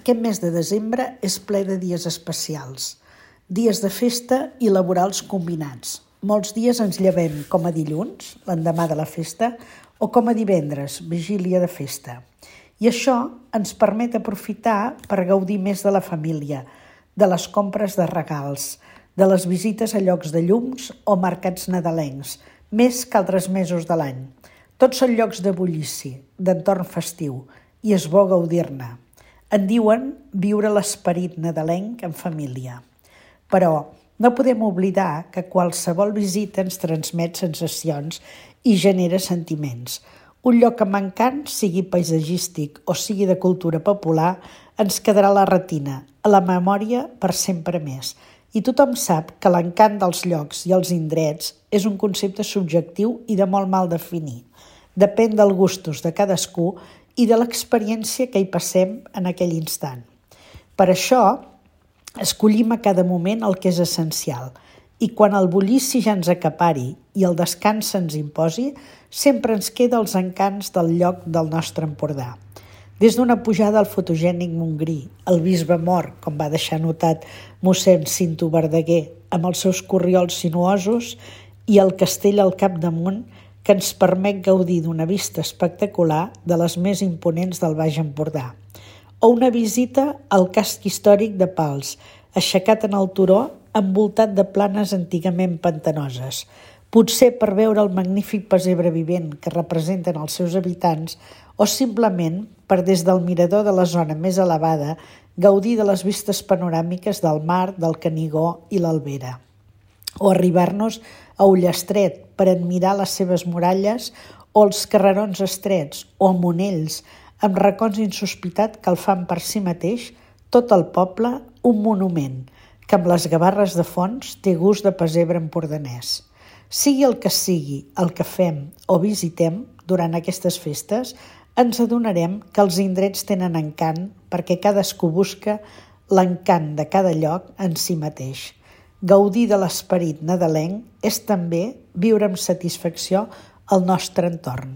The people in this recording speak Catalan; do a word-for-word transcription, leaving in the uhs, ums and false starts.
Aquest mes de desembre és ple de dies especials, dies de festa i laborals combinats. Molts dies ens llevem com a dilluns, l'endemà de la festa, o com a divendres, vigília de festa. I això ens permet aprofitar per gaudir més de la família, de les compres de regals, de les visites a llocs de llums o mercats nadalencs, més que altres mesos de l'any. Tots són llocs de bullici, d'entorn festiu, i és bo gaudir-ne. En diuen viure l'esperit nadalenc en família. Però no podem oblidar que qualsevol visita ens transmet sensacions i genera sentiments. Un lloc amb encant, sigui paisatgístic o sigui de cultura popular, ens quedarà a la retina, a la memòria per sempre més. I tothom sap que l'encant dels llocs i els indrets és un concepte subjectiu i de molt mal definir. Depèn dels gustos de cadascú i de l'experiència que hi passem en aquell instant. Per això, escollim a cada moment el que és essencial i quan el bullici ja ens acapari i el descans se'ns imposi, sempre ens queda els encants del lloc del nostre Empordà. Des d'una pujada al fotogènic Montgrí, el bisbe mort, com va deixar notat mossèn Cinto Verdaguer, amb els seus corriols sinuosos, i el castell al capdamunt, que ens permet gaudir d'una vista espectacular de les més imponents del Baix Empordà. O una visita al casc històric de Pals, aixecat en el turó, envoltat de planes antigament pantanoses. Potser per veure el magnífic pessebre vivent que representen els seus habitants o simplement per des del mirador de la zona més elevada gaudir de les vistes panoràmiques del mar, del Canigó i l'Albera. O arribar-nos a Ullastret per admirar les seves muralles o els carrerons estrets o a Monells, amb racons insospitat que el fan per si mateix tot el poble un monument, que amb les gavarres de fons té gust de pessebre empordanès. Sigui el que sigui el que fem o visitem durant aquestes festes, ens adonarem que els indrets tenen encant perquè cadascú busca l'encant de cada lloc en si mateix. Gaudir de l'esperit nadalenc és també viure amb satisfacció el nostre entorn.